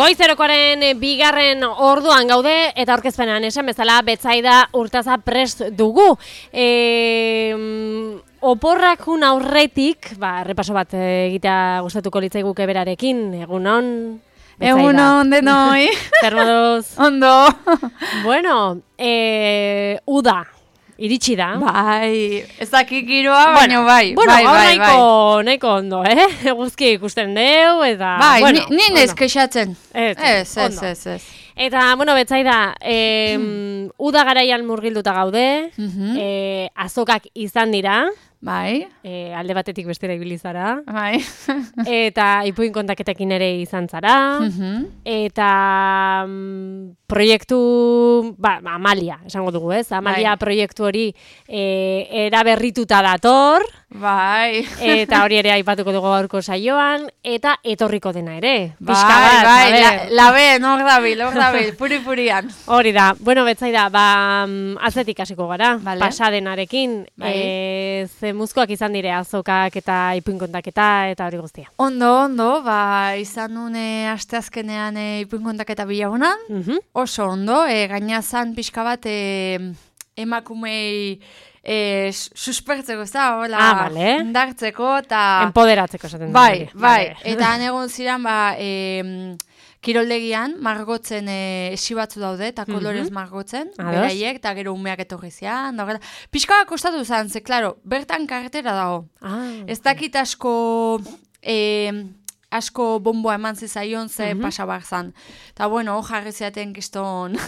Goizerokoaren bigarren orduan gaude eta aurkezpenean esan bezala Betsaida Urtaza prest dugu. Oporrakun aurretik, errepaso bat egitea gustatuko litzaiguke berarekin. Egunon, Betsaida. Egunon denoi. Zer moduz? Ondo. Bueno, uda. Iritsi da. Bai, ez dakik giroa, baina bai. Bueno, bai. nahiko ondo, Eguzki ikusten deu, eta... Bai, bueno, nien ez kexatzen. Ez. Eta, bueno, Betsaida, uda garaian murgilduta gaude, azokak izan dira, Bai. Alde batetik bestera ibili zara, Bai. eta ipuin kontaketekin ere izan zara, eta proiektu, Amalia, esango dugu, ez? Amalia proiektu hori eraberrituta dator, Bai. eta hori ere aipatuko dugu gaurko saioan, eta etorriko dena ere. Bai, laben, hor dabil, puri-purian. Hori da, bueno, Betsaida, atzetik hasiko gara, Vale. pasadenarekin, muzkoak izan dire azokak eta ipuin kontaketa eta hori guztia. Ondo, izan nune asteazkenean ipuin kontaketa bilagunan, oso ondo, gaina zan pixka bat emakumei suspertzeko, ez da, hola, indartzeko, eta... Empoderatzeko esaten. Bai, eta han egon ziren, kiroldegian, margotzen esi batzu daude, eta kolorez margotzen, beraiek, eta gero umeak etorri zian, pixka kostatu zen, ze, klaro, bertan karretera dago. Ez dakit asko bomboa eman zizaion ze pasabar zan. Eta bueno, jarri ziaten kiston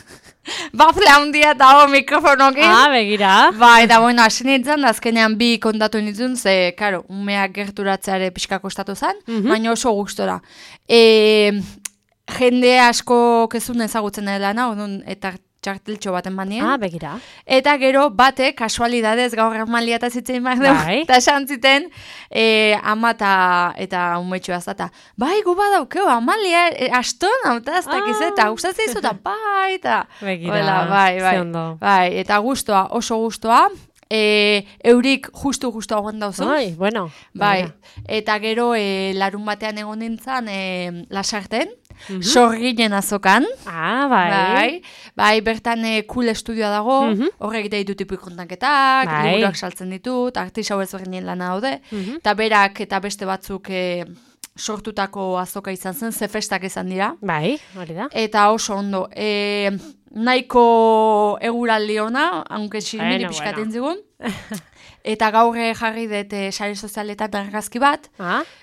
bafle handia eta mikrofonokin. Begira. Bai, eta bueno, hasi nintzen, azkenean bi kontatu nintzen, ze, karo, umeak gerturatzeare pixka kostatu zen, baina oso gustora. Jende asko kezun ezagutzen dela eta txarteltxo baten banien. Begira. Eta gero bate, kasualidadez gaur Amalia eta zitzen behar dugu. Eta esan ziten, ama eta umetxoa zata. Bai, gu badaukeu, Amalia, astona, ez dakiz, eta gustatzen izu, eta bai, eta... Begira, zeondo. Bai, eta guztua, oso guztua. Eurik justu hauen dauzu. Bueno. Bai, eta gero larun batean egon nintzen Lasarten, Sorginen azokan. Bai. Bai, bertan cool estudioa dago, horrek ditut ipuin kontaketak, liburuak saltzen ditut, artisau ezberdinen lana daude, eta berak eta beste batzuk sortutako azoka izan zen, ze festak izan dira. Bai, hori da. Eta oso ondo. Nahiko eguraldi ona, aunque niri pixkaten zigun. Eta gaur jarri dut sare sozialetan argazki bat,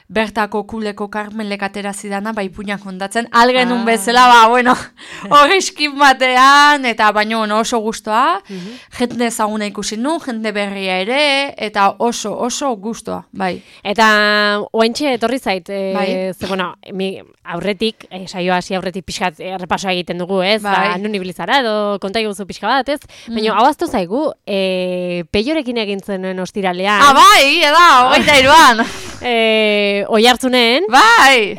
bertako kuleko Carmelek atera zidana, ipuinak kondatzen, algenun bezala, hor eskin batean, eta baino oso gustoa, jende ezaguna ikusi nun, jende berria ere, eta oso gustoa, bai. Eta oaintxe etorri zait, aurretik, saioa hasi aurretik pixkat errepasoa egiten dugu, ez? Nun ibilizara, edo konta guzu pixka bat, ez? Baina, hau aztu zaigu, Peiorekin egin zen ostiralean. Bai, eda, 23an. Oihartzunen. Bai.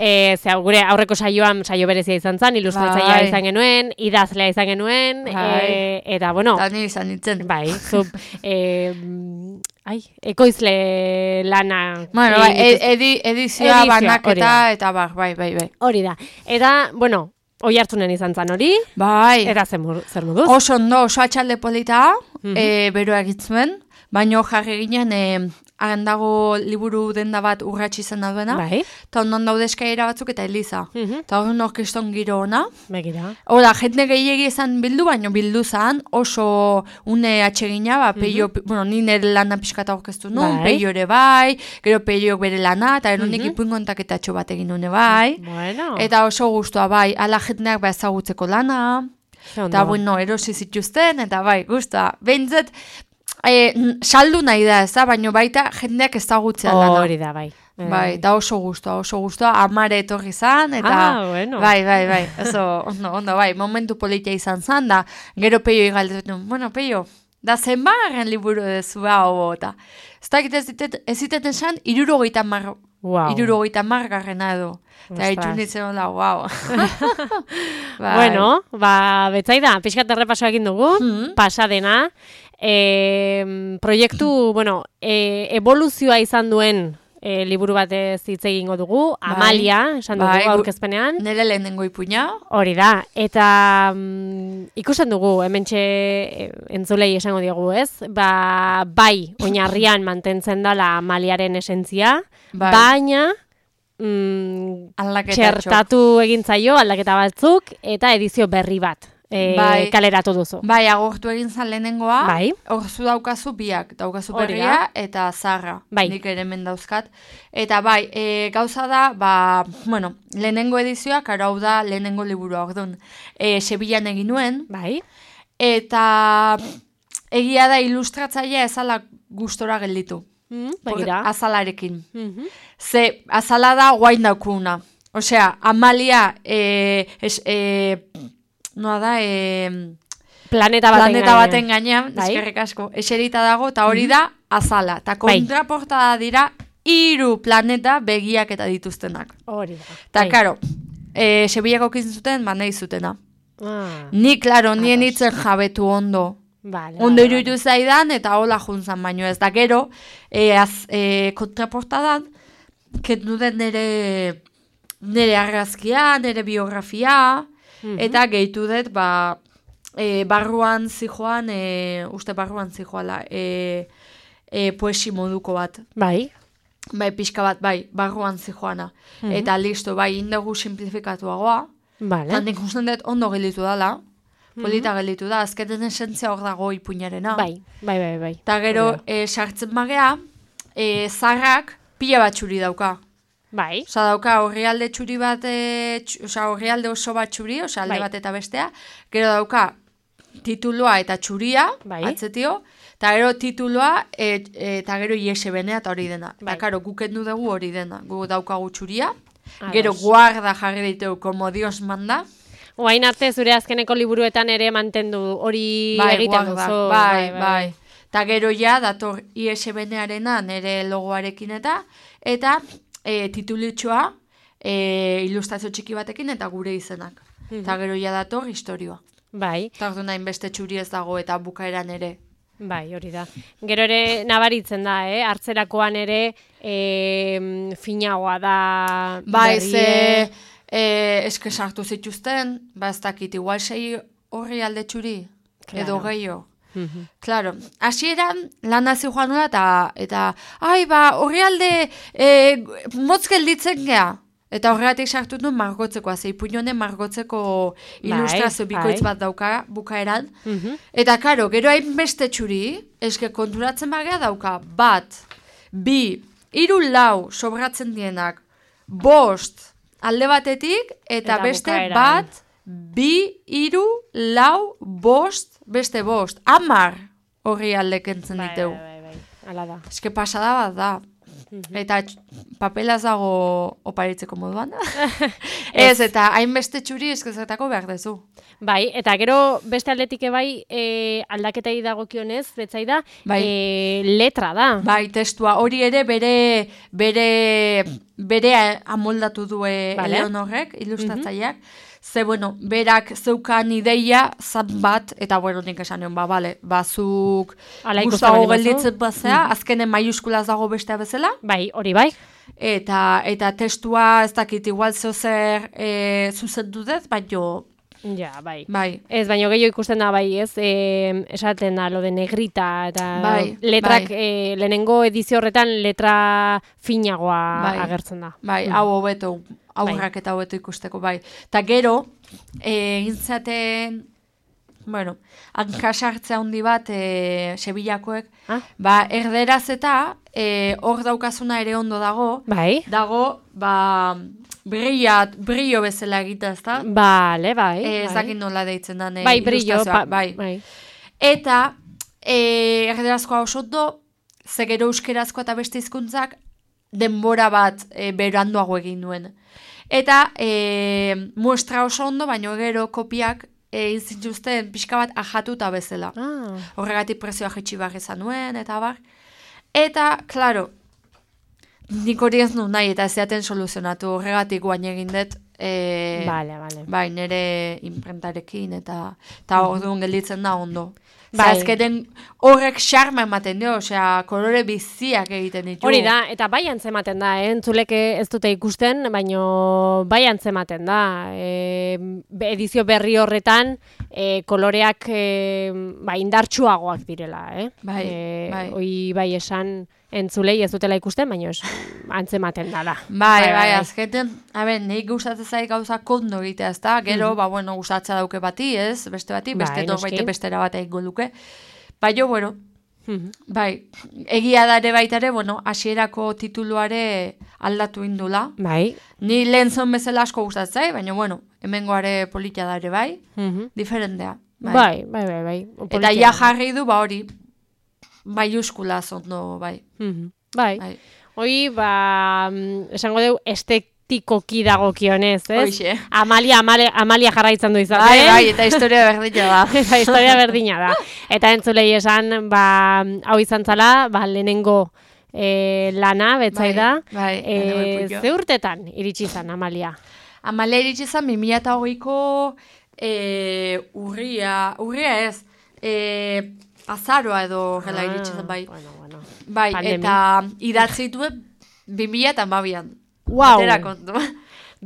Gure aurreko saio berezia izan zen, ilustratzailea izan genuen, idazlea izan genuen, eta, bueno... Tani izan nintzen. Bai, ekoizle lana... Bueno, edizioa banaketa, eta bai. Hori da. Eta, bueno... Oihartzunen izan zan hori? Bai. Eta zer moduz? Oso ondo, oso atxalde polita, beroa egitzen, baina jarri ginen, dago liburu denda bat urratxi izan dauena, eta ondan daude eskaira batzuk eta Eliza. Eta hori orkeston giro ona. Begira. Hora, jende gehiagi izan bildu, baina bildu zan, oso une atxegina, Peio, ni nire lana pixkata orkestu nun, Peio ere bai, gero Peioak bere lana, eta eronik ipuin kontaketatxo bat egin nune bai. Eta oso guztua bai, ala jendeak ezagutzeko lana, eta erosi zituzten, eta bai, guztua. Behintzat, saldu nahi da, ez da, baina baita jendeak ezagutzea lana. Hori da, bai. Bai, da oso guztua, amare etorri zan, eta... Bai, oso, ondo, bai, momentu politia izan zan, da, gero Peio igaldetu, Peio, da zenbarren liburu dezu, eta... Ez dakit ez ziten esan, 70 margarrena edo. Eta itxunitzen hola, Bueno, Betsaida, pixkat errepasoa egin dugu, pasadena, proiektu, evoluzioa izan duen liburu bat hitz egingo dugu, Amalia, esan dugu aurkezpenean. Nire lehenengo ipuina. Hori da, eta ikusten dugu, hementxe entzulei esango diogu, ez? Bai, oinarrian mantentzen dela Amaliaren esentzia, baina txertatu egin zaio aldaketa batzuk eta edizio berri bat kaleratu duzu. Bai, agortu egin zan lehenengoa, hor daukazu biak, daukazu berria eta zarra, nik ere hemen dauzkat. Eta bai, gauza da, lehenengo edizioak, hau da lehenengo liburua, orduan, Sevillan egin nuen, eta egia da ilustratzailea ezala gustora gelditu. Azalarekin. Ze, azala da guain daukuna. Osea, Amalia planeta baten gainean, eskerrik asko, eserita dago, eta hori da azala. Eta kontraportada dira 3 planeta begiak eta dituztenak. Hori da. Eta, karo, Sevillako kin zuten, nahi zutena. Ni, klaro, nien itzen jabetu ondo. Ondo iruditu zaidan, eta hola juntzan baino ez. Da gero, kontraportadan, kendu den nire argazkia, nire biografia, eta gehitu dut, barruan zijoan, uste barruan zijoala, poesi moduko bat. Bai, pixka bat, barruan zijoana. Eta listo, indegu simplifikatuagoa. Eta nik usten dut ondo gelditu dela. Polita gelditu da, azketen esentzia hor dago ipuinarena. Bai. Eta gero, sartzen bagea, zarrak pila bat txuri dauka. Bai. Osa dauka horrialde txuri bat, horrialde oso bat txuri, alde bat eta bestea. Gero dauka titulua eta txuria, atzetio, eta gero titulua eta gero ISBN eta hori dena. Eta karo, gukendu dugu hori dena. Gu daukagu txuria, gero guarda jarri ditu, como Dios manda. Oain arte zure azkeneko liburuetan ere mantendu hori egiten duzu. Bai. Eta gero ja, dator ISBN-arena nire logoarekin eta titulitxoa ilustrazio txiki batekin eta gure izenak. Eta gero ja dator historioa. Bai. Eta ordu nahin beste txuri ez dago eta bukaeran ere. Bai, hori da. Gero ere nabaritzen da, hartzerakoan ere finagoa da berrie. Eske sartu zituzten, ez dakit, igual 6 horri alde txuri, edo gehiago. Claro, hasieran lan hazi joan da, eta horri alde motz gelditzen geha. Eta horregatik sartu du margotzeko, ipuñonen margotzeko ilustrazio bikoitz bat dauka bukaeran. Eta karo, gero hain beste txuri, eske konturatzen bagea dauka, 1, 2, 3, 4 sobratzen dienak, 5, alde batetik, eta beste bukaeran. 1, 2, 3, 4, 5, beste 5, 10 horri alde kentzen diteu. Bai, ala da. Eske pasada bat da. Eta papelaz dago oparitzeko moduan. Ez, eta hainbeste txuri eskezetako behar dezu. Bai, eta gero beste aldetik aldaketei dagokionez, betzaida, letra da. Bai, testua. Hori ere bere amoldatu du Eleonorrek, ilustratzaileak. Ze, berak zeukan ideia zat bat, eta nik esan nion, zuk gustago gelditzen bazea, azkenen maiuskulaz dago bestea bezala. Bai, hori bai. Eta testua ez dakit igual zer zuzendu dut, baina... Ja, bai. Ez, baina gehiago ikusten da, esaten da, lo de negrita, eta letrak, lehenengo edizio horretan letra finagoa agertzen da. Bai, hau hobeto, aurrak eta hobeto ikusteko, bai. Eta gero, gintzaten, hankasartzea handi bat, Sevillakoek, erderaz eta hor daukazuna ere ondo dago, dago, brillo bezala egita, ez da? Bale, bai. Ezakin nola deitzen da. Brillo, bai. Eta, erderazkoa oso ondo, ze gero euskerazkoa eta beste hizkuntzak denbora bat beranduago egin duen. Eta, muestra oso ondo, baina gero kopiak izintuzten pixka bat ajatuta bezala. Horregatik prezioa jetxi behar izan nuen, eta bar. Eta, klaro, nik hori ez nu nahi eta ez zeaten soluzionatu, horregatik guain egin dut bai, nire imprentarekin, eta orduan gelditzen da ondo. Azketen horrek xarma ematen dio, kolore biziak egiten ditu. Hori da, eta bai antzematen da, entzuleke ez dute ikusten, baina bai antzematen da. Edizio berri horretan, koloreak indartsuagoak direla. Hoi bai esan entzulei ez dutela ikusten, baina antzematen da. Bai, azketen, nahi gustatzen zaik gauza kondo egitea, ez da, gero, gustatzea dauke bati, ez, beste bati, beste norbaite bestera bat egingo luke. Baina, bai, egia dare baitare, hasierako tituluare aldatu indula. Bai. Ni lehen zon bezala asko gustatzen, baina, hemengoare politia dare bai, diferentea. Bai. Eta ja jarri du, hori, maiuskula zondo, bai. Bai. Hoi, esango dugu, estetikoki dagokionez, ez? Hoxe. Amalia jarraitzen du izaten. Bai, eta historia berdina da. Eta historia berdina da. Eta entzulei esan, hau izan zala, lehenengo lana, betzai da. Bai, ze urtetan iritsi izan, Amalia? Amalia iritsi izan, 2008ko urria ez, azaroa edo gela iritsi zen, bai. Bai, eta idatzi dituen 2012an. Wow! Atera kontu.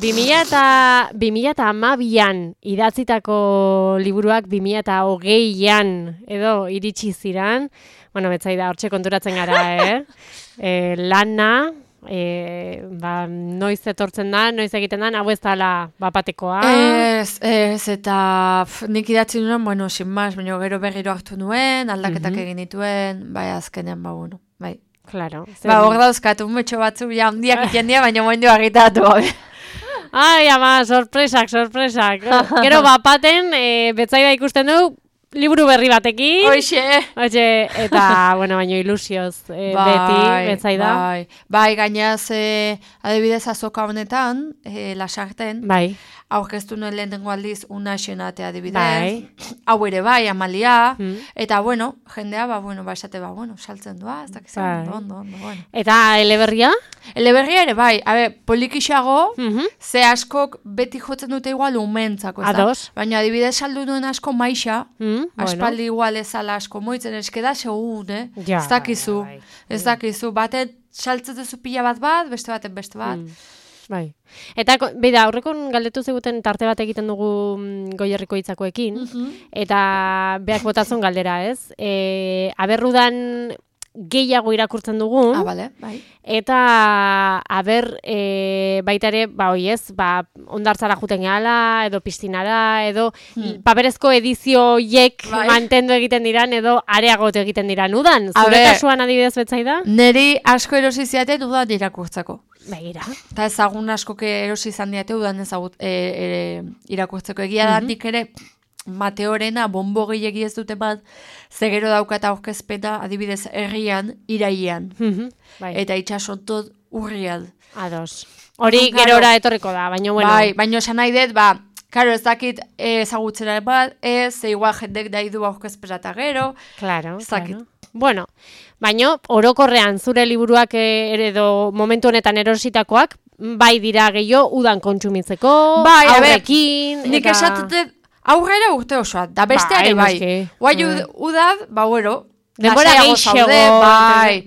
2012an idatzitako liburuak 2020an edo iritsi ziran. Betzai da, hortxe konturatzen gara, lana, noiz etortzen da, noiz egiten da, hau ez dala bapatekoa. Ez, eta nik idatzi nuen, sin mas, baina gero berriro hartu nuen, aldaketak egin dituen, bai, azkenean, bai. Claro. Hor dauzkatu, metxo batzu, handiak iten dira, baina momentu agitatu. Ai, ama, sorpresak. Gero bapaten, betzaida ikusten du, liburu berri batekin. Hoxe. Eta, baina ilusioz beti, betzaida. Bai, gainaz, adibidez azoka honetan, lasarten. Bai. Aurkeztu nuen lehenengo aldiz una xenatea adibidez. Hau ere bai, Amalia. Eta, jendea, esate, saltzen doa, ez dakizan, ondo. Eta eleberria? Eleberria ere bai, polikixago, ze askok beti jotzen dute igual umentzako, ez da? Baina adibidez saldu duen asko maixa, aspaldi igual ezala asko moitzen, eskeda segun, ez dakizu, baten saltzetezu pila bat, beste baten beste bat. Bai. Eta, beida, aurrekon galdetu zeguten tarte bat egiten dugu Goierriko hitzakoekin, eta beak botazun galdera, ez? Aberrudan gehiago irakurtzen dugu, bai. Eta baita ere, ondartzara juten gehala, edo piztinara, edo paperezko edizioiek mantendu egiten diran, edo areagotu egiten diran udan. Zure kasuan adibidez betzai da? Neri asko erosi ziaten udan irakurtzeko. Begira. Eta ezagun askoke erosi izan diate udan ezagut irakurtzeko. Egia datik ere, Mateorena bombo gehiagi ez dute bat, zegero daukata aurkezpena adibidez herrian, iraian. Eta itxasontot urrian. Ados. Hori gerora etorriko da, baina bueno. Bai, baina esan nahi dut, karo ez dakit ezagutzera bat, igual jendek daidu aurkezpena eta gero. Claro. Bueno, baina orokorrean zure liburuak edo momentu honetan erositakoak, bai dira gehiago udan kontsumitzeko, aurrekin. Nik esatete aurrera urte osoa, da besteare bai. Guai udad, denbora gehiago.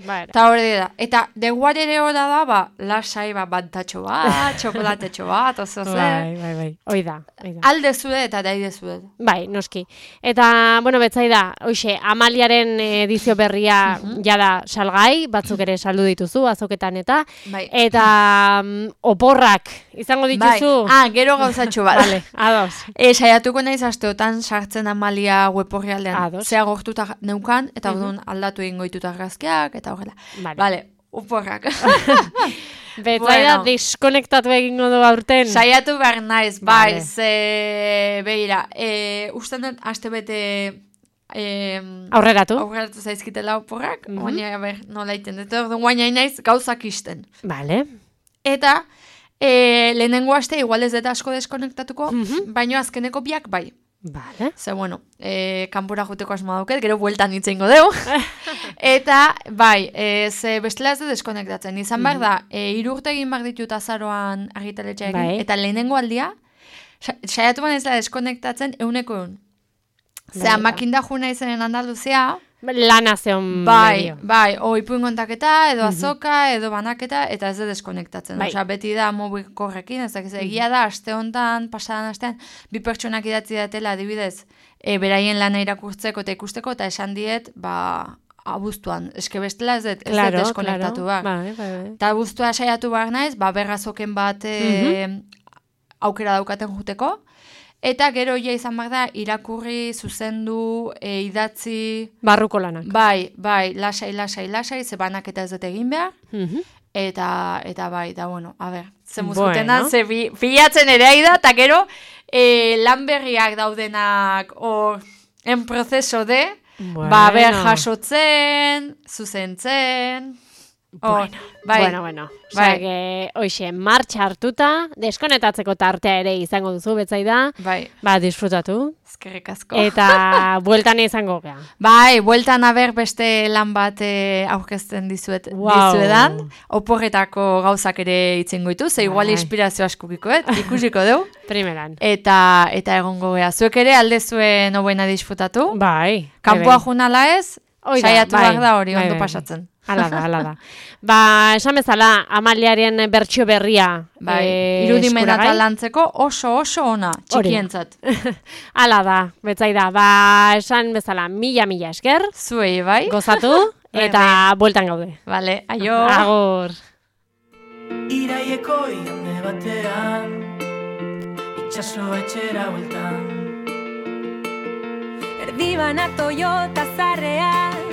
Eta hori da. Eta denguare ere hori da, lasai bantatxo bat, txokolatetxo bat, oso zer. Bai. Hoi da. Alde zude eta daide zude. Bai, noski. Eta, betzai da, Amaliaren edizio berria jada salgai, batzuk ere saldu dituzu, azoketan eta. Eta oporrak, izango dituzu? Gero gauzatxo bat. Vale, ados. Saiatuko naiz asteotan sartzen Amalia web horrialdean. Zea gortuta neukan, eta aldatu egin goituta argazkiak, eta horrela. Vale, oporrak. Betzaida diskonektatu egingo du aurten. Saiatu behar naiz, bai, behira, usten dut, aste bete aurreratu zaizkitela oporrak, baina nola iten dut, guaina naiz gauzak isten. Vale. Eta lehenengo aste, igual ez deta asko deskonektatuko, baina azkeneko biak bai. Vale. Ze, bueno, kanpora juteko asmoa dauket, gero bueltan itzeingo deu. Eta, bai, ze bestela ez da deskonektatzen. Izan behar da, 3 urte egin behar ditut azaroan argitaletxea egin, eta lehenengo aldia, saiatu ban ez da deskonektatzen 100%. Zea, makinda juna izenen Andaluzia, lana zeon medio. Bai, ipuin kontaketa, edo azoka, edo banaketa, eta ez da deskonektatzen. Osea, beti da mobilkorrekin, ez dakiz, egia da, aste hontan, pasadan astean, 2 pertsonak idatzi datela, adibidez, beraien lana irakurtzeko eta ikusteko, eta esan diet, abuztuan, eske bestela ez da deskonektatu behar. Eta abuztua saiatu behar naiz, berrazoken bat aukera daukaten juteko, eta gero ja izan behar da, irakurri, zuzendu, idatzi... Barruko lanak. Bai, lasai, ze banaketa ez dut egin behar. Eta bai, da bueno, a ber, ze muzkutena, ze bilatzen ere aida, eta gero lan berriak daudenak en proceso de, ber jasotzen, zuzentzen... Bueno. Osea, hoxe, martxa hartuta, deskonetatzeko tartea ere izango duzu, betzaida. Disfrutatu. Eskerrik asko. Eta bueltan izango gea. Bueltan aber beste lan bat aurkezten dizuedan. Oporretako gauzak ere itzengo ditu, ze igual inspirazio askukiko, ikusiko deu. Primeran. Eta egongo gea. Zuek ere alde zuen hobena disfrutatu. Kanpoa junala ez, saiatu behar da hori ondo pasatzen. Hala da. Esan bezala, Amaliaren bertsio berria. Irudimena talantzeko oso ona, txikientzat. Hala da, betzaida. Esan bezala, mila esker. Zuei, bai. Gozatu, eta bueltan gaude. Vale, aio. Agur. Iraieko igande batean, itxaso etxera bueltan. Erdibanak Toyota zarrean,